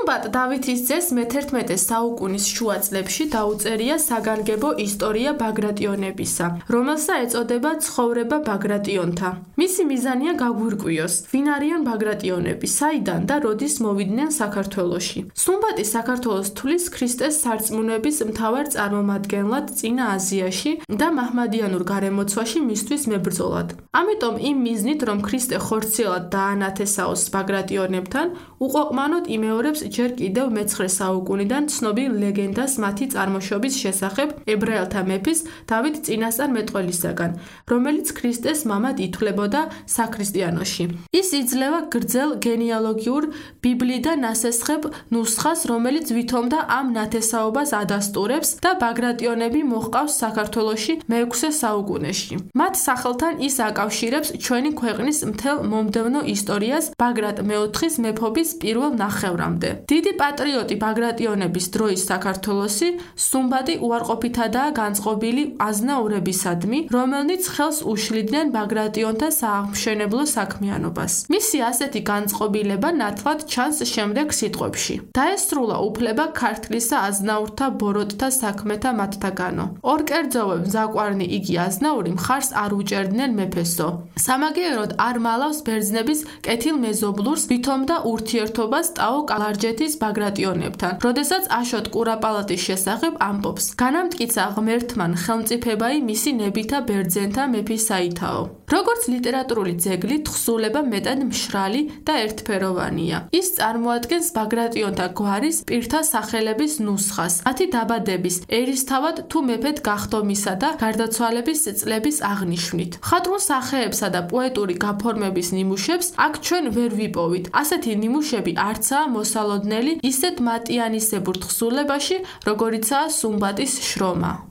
სუმბატ დავითის ძეს მე-11 საუკუნის შუა წლებში დაუწერია საგანგებო ისტორია ბაგრატიონებისა, რომელსაც ეწოდება ცხოვრება ბაგრატიონთა. მისი მიზანია გაგვირკვიოს, ვინ არიან ბაგრატიონები, საიდან და როდის მოვიდნენ საქართველოში. სუმბატი საქართველოს თulis ქრისტეს სარწმუნოების მთავარ წარმომადგენლად წინა აზიაში და მაჰმადიანურ გარემოცვაში მისთვის მებრძოლად. ამიტომ იმ მიზნით, რომ ქრისტე ხორციელად დაანათესაოს ბაგრატიონებთან, უყოყმანოდ იმეორებს ჯერ კიდევ მე-9 საუკუნიდან ცნობილ ლეგენდას მათი წარმოშობის შესახებ ებრაელთა მეფის დავით წინასწარმეტყველისაგან, რომელიც ქრისტეს მამად ითვლებოდა საქრისტიანოში. ის იძლევა გრძელ გენეალოგიურ ბიბლიიდან ასესხებ ნუსხას, რომელიც ვითომდა ამ ნათესაობას ადასტურებს და ბაგრატიონები მოჰყავს საქართველოში მე-6 საუკუნეში. მათ სახელთან ის აკავშირებს ჩვენი ქვეყნის მთელ მომდევნო ისტორიას ბაგრატ მე-4-ის მეფობის პირველ ნახევრამდე. დიდი პატრიოტი ბაგრატიონების დროის საქართველოსი სუმბატი უარყოფითადაა განწყობილი აზნაურებისადმი, რომელნიც ხელს უშლიდნენ ბაგრატიონთა სააღმშენებლო საქმიანობას. მისი ასეთი განწყობილება ნათლად ჩანს შემდეგ სიტყვებში. დაესრულა უფლება ქართლისა აზნაურთა ბოროტთა საქმეთა მათთაგანო. ორ კერძოვე მზაყვარნი იგი აზნაური მხარს არ უჭერდნენ მეფესო. სამაგიეროდ არ მალავს ბერძნების კეთილმეზობლურს ვითომდა ურთიერთობას ტაო კალარჯეთის ბაგრატიონებთან, როდესაც აშოტ კურაპალატის შესახებ ამბობს. განამტკიცა ღმერთმან ხელმწიფებაი მისი ნებითა ბერძენთა მეფისაითაო. როგორც ლიტერატურული ძეგლი, თხზულება მეტად მშრალი და ერთფეროვანია. ის წარმოადგენს ბაგრატიონთა გვარის პირთა სახელების ნუსხას, მათი დაბადების, ერისთავად თუ მეფედ გახდომისა და გარდაცვალების წლების აღნიშვნით. მხატვრულ სახეებსა და პოეტური გაფორმების ნიმუშებს აქ ჩვენ ვერ ვიპოვით. ასეთი ნიმუშები არცაა მოსალოდნელი ისეთ მატიანისებურ თხზულებაში, როგორიცაა სუმბატის შრომა.